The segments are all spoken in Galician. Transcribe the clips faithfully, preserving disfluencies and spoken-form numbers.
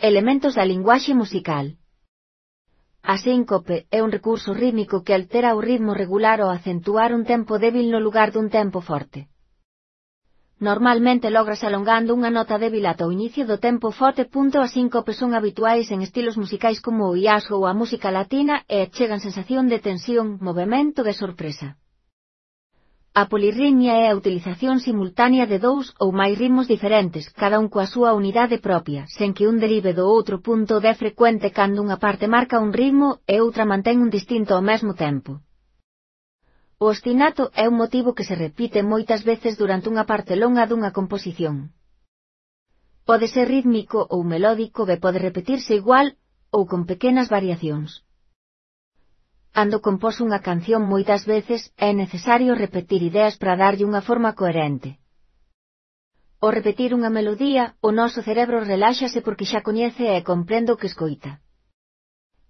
Elementos da linguaxe musical. A síncope é un recurso rítmico que altera o ritmo regular ao acentuar un tempo débil no lugar dun tempo forte. Normalmente logras alongando unha nota débil ata o inicio do tempo forte. As síncopes son habituais en estilos musicais como o jazz ou a música latina e achegan sensación de tensión, movemento e sorpresa. A polirritmia é a utilización simultánea de dous ou máis ritmos diferentes, cada un coa súa unidade propia, sen que un derive do outro. É frecuente cando unha parte marca un ritmo e outra mantén un distinto ao mesmo tempo. O ostinato é un motivo que se repite moitas veces durante unha parte longa dunha composición. Pode ser rítmico ou melódico e pode repetirse igual ou con pequenas variacións. Cando compós unha canción moitas veces é necesario repetir ideas para darlle unha forma coherente. Ao repetir unha melodía, o noso cerebro reláxase porque xa coñece e comprende o que escoita.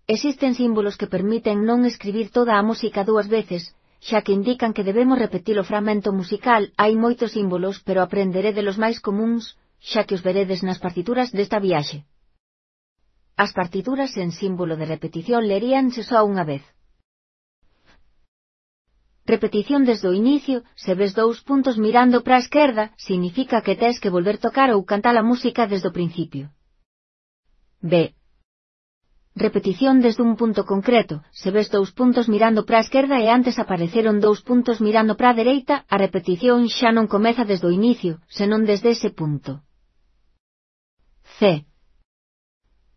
Existen símbolos que permiten non escribir toda a música dúas veces, xa que indican que debemos repetir o fragmento musical. Hai moitos símbolos, pero aprenderede los máis comúns, xa que os veredes nas partituras desta viaxe. As partituras en símbolo de repetición leríanse só unha vez. Repetición desde o inicio. Se ves dous puntos mirando para a esquerda, significa que tes que volver tocar ou cantar a música desde o principio. B. Repetición desde un punto concreto. Se ves dous puntos mirando para a esquerda e antes apareceron dous puntos mirando para a dereita, a repetición xa non comeza desde o inicio, senón desde ese punto. C.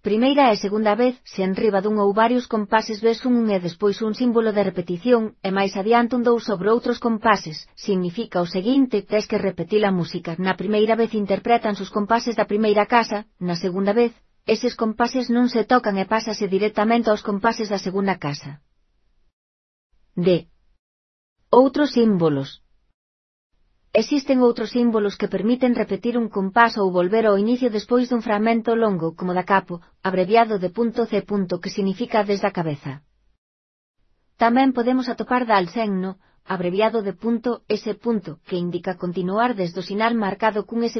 Primeira e segunda vez. Se enriba dun ou varios compases ves un un e despois un símbolo de repetición, e máis adiante un dous sobre outros compases, significa o seguinte: tes que repetir a música. Na primeira vez interpretan os compases da primeira casa, na segunda vez, eses compases non se tocan e pásase directamente aos compases da segunda casa. D. Outros símbolos. Existen outros símbolos que permiten repetir un compás ou volver ao inicio despois dun fragmento longo, como da capo, abreviado de punto C. que significa desde a cabeza. Tamén podemos atopar da alsenno, abreviado de punto S. que indica continuar desde o sinal marcado cun S.